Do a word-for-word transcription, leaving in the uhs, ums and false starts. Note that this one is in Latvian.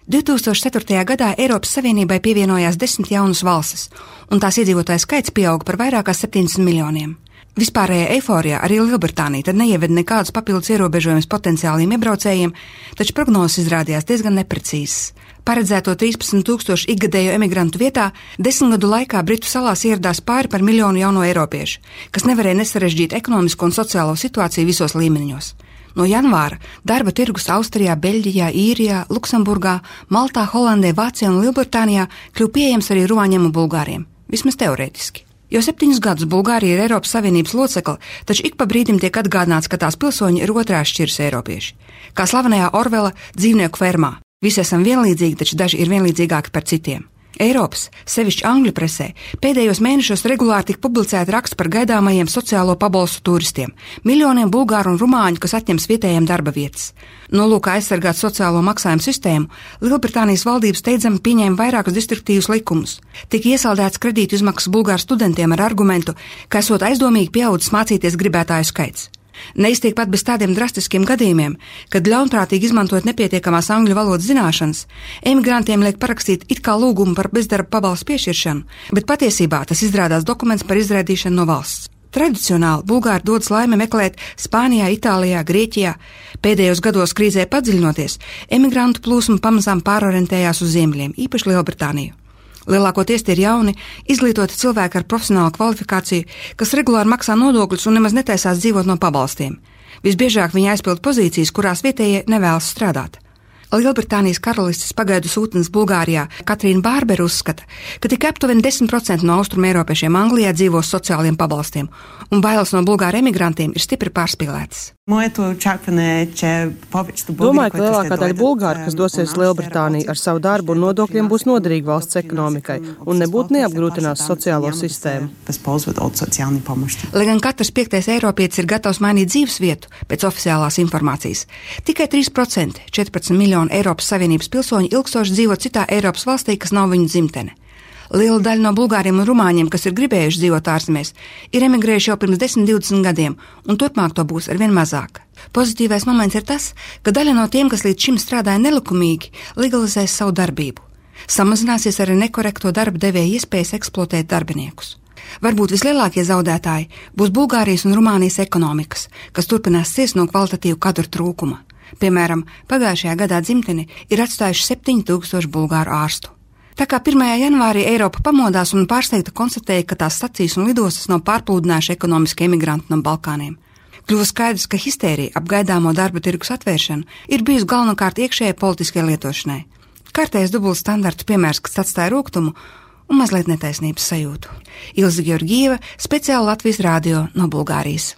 divtūkstoš ceturtajā gadā Eiropas Savienībai pievienojās desmit jaunas valstis, un tās iedzīvotāju skaits pieauga par vairāk kā septiņdesmit miljoniem. Vispārējā eiforijā arī Lielbritānija tad neieveda nekādus papildus ierobežojumus potenciāliem iebraucējiem, taču prognozes izrādījās diezgan neprecīzas. Paredzēto trīspadsmit tūkstošu ikgadējo emigrantu vietā desmit gadu laikā Britu salās ieradās pāri par miljonu jauno eiropiešu, kas nevarēja nesarežģīt ekonomisko un sociālo situāciju visos līmeņos. No janvāra darba tirgus Austrijā, Beļģijā, Īrijā, Luksemburgā, Maltā, Holandē, Vācijā un Lielbritānijā kļuva pieejams arī rumāņiem un bulgāriem, vismaz teorētiski. Jau septiņus gadus Bulgārija ir Eiropas Savienības locekle, taču ik pa brīdim tiek atgādināts, ka tās pilsoņi ir otrās šķiras eiropieši. Kā slavenajā Orvela dzīvnieku fermā. Visi esam vienlīdzīgi, taču daži ir vienlīdzīgāki par citiem. Eiropas, sevišķi angļu presē, pēdējos mēnešos regulāri tika publicēti raksti par gaidāmajiem sociālo pabalstu turistiem, miljoniem bulgāru un rumāņu, kas atņems vietējiem darba vietas. Nolūkā aizsargāt sociālo maksājumu sistēmu, Lielbritānijas valdības steidzami pieņēma vairākus distriktīvus likumus. Tika iesaldēts kredītu izmaksas bulgāru studentiem ar argumentu, ka esot aizdomīgi pieaudzis mācīties gribētāju skaits. Neiztiek pat bez tādiem drastiskiem gadījumiem, kad ļaunprātīgi izmantojot nepietiekamās angļu valodas zināšanas, emigrantiem liek parakstīt it kā lūgumu par bezdarba pabalstu piešķiršanu, bet patiesībā tas izrādās dokuments par izraidīšanu no valsts. Tradicionāli bulgāri dodas laimi meklēt Spānijā, Itālijā, Grieķijā. Pēdējos gados krīzē padziļinoties, emigrantu plūsma pamazām pārorientējās uz ziemeļiem, īpaši Lielbritāniju. Lielākoties tie ir jauni, izglītoti cilvēki ar profesionālu kvalifikāciju, kas regulāri maksā nodokļus un nemaz netaisās dzīvot no pabalstiem. Visbiežāk viņi aizpild pozīcijas, kurās vietējie nevēlas strādāt. Lielbritānijas karalistes pagaidu sūtnes Bulgārijā Katrīna Bārbera uzskata, ka tikai aptuveni desmit procenti no austrumeiropiešiem Anglijā dzīvo sociāliem pabalstiem, un bailes no bulgāru emigrantiem ir stipri pārspīlētas. Domāju, ka lielākā daļa bulgāru, kas dosies Lielbritāniju ar savu darbu un nodokļiem, būs noderīgi valsts ekonomikai un nebūtu neapgrūtinās sociālo sistēmu. Lai gan katrs piektais eiropietis ir gatavs mainīt dzīves vietu pēc oficiālās informācijas, tikai trīs procenti, četrpadsmit miljoni Eiropas Savienības pilsoņi ilgstoši dzīvo citā Eiropas valstī, kas nav viņu dzimtene. Liela daļa no bulgāriem un rumāņiem, kas ir gribējuši dzīvot ārzemēs, ir emigrējuši jau pirms desmit divdesmit gadiem, un turpmāk to būs arvien mazāk. Pozitīvais moments ir tas, ka daļa no tiem, kas līdz šim strādāja nelikumīgi, legalizēs savu darbību. Samazināsies arī nekorekto darba devēja iespējas eksploatēt darbiniekus. Varbūt vislielākie zaudētāji būs Bulgārijas un Rumānijas ekonomikas, kas turpinās ciest no kvalitatīvu kadru trūkuma. Piemēram, pagājušajā gadā dzimteni ir atstājuši septiņi tūkstoši bulgāru ārstu. Tā kā pirmajā janvārī Eiropa pamodās un pārsteigta konstatēja, ka tās stacijas un lidostas nav pārplūdinājuši ekonomiski emigranti no Balkāniem. Kļuva skaidrs, ka histērija ap gaidāmo darba tirgus atvēršanu ir bijusi galvenokārt iekšējai politiskajai lietošanai. Kārtējais dubultu standartu piemērs, kas atstāja rūgtumu un mazliet netaisnības sajūtu. Ilze Georgieva, speciāli Latvijas radio no Bulgārijas.